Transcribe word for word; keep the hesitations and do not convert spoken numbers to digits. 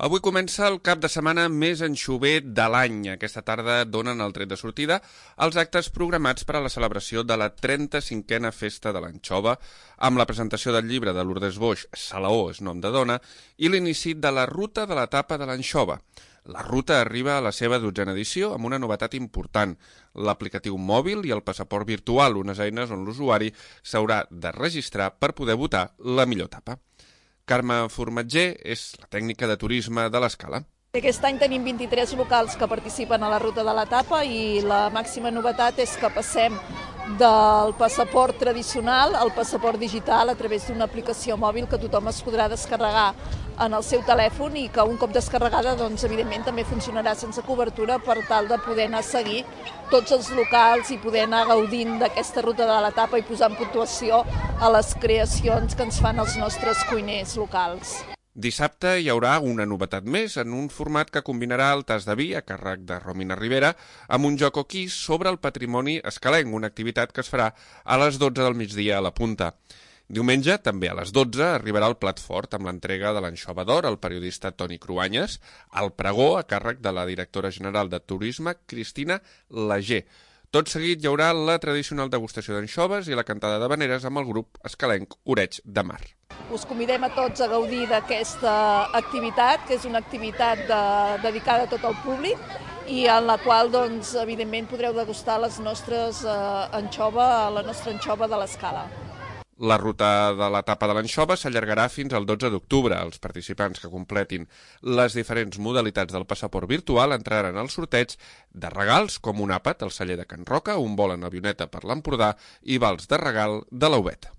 Avui comença el cap de setmana més anxover de l'any. Aquesta tarda donen el tret de sortida els actes programats per a la celebració de la trenta-cinquena Festa de l'Anxova, amb la presentació del llibre de Lourdes Boix, Salaó és nom de dona, i l'inici de la Ruta de l'Etapa de l'Anxova. La ruta arriba a la seva dotzena edició amb una novetat important, l'aplicatiu mòbil i el passaport virtual, unes eines on l'usuari s'haurà de registrar per poder votar la millor etapa. Carme Formatger és la tècnica de turisme de l'Escala. Aquest any tenim vint-i-tres locals que participen a la ruta de l'etapa i la màxima novetat és que passem del passaport tradicional al passaport digital a través d'una aplicació mòbil que tothom es podrà descarregar en el seu telèfon i que un cop descarregada, doncs, evidentment, també funcionarà sense cobertura per tal de poder anar a seguir tots els locals i poder anar gaudint d'aquesta ruta de l'etapa i posar en puntuació a les creacions que ens fan els nostres cuiners locals. Dissabte hi haurà una novetat més en un format que combinarà el tas de vi a càrrec de Romina Rivera amb un joc o quiz sobre el patrimoni escalenc, una activitat que es farà a les dotze del migdia a la Punta. Diumenge, també a les dotze, arribarà el plat fort amb l'entrega de l'Anxova d'Or al periodista Toni Cruanyes, al pregó a càrrec de la directora general de Turisme, Cristina Lager. Tot seguit hi haurà la tradicional degustació d'anxoves i la cantada d'havaneres amb el grup escalenc Oreig de Mar. Us convidem a tots a gaudir d'aquesta activitat, que és una activitat de, dedicada a tot el públic i en la qual, doncs, evidentment, podreu degustar les nostres eh, anxova, la nostra anxova de l'Escala. La ruta de l'etapa de l'anxova s'allargarà fins al dotze d'octubre. Els participants que completin les diferents modalitats del passaport virtual entraran al sorteig de regals com un àpat al celler de Can Roca, un vol en avioneta per l'Empordà i vals de regal de l'Aubet.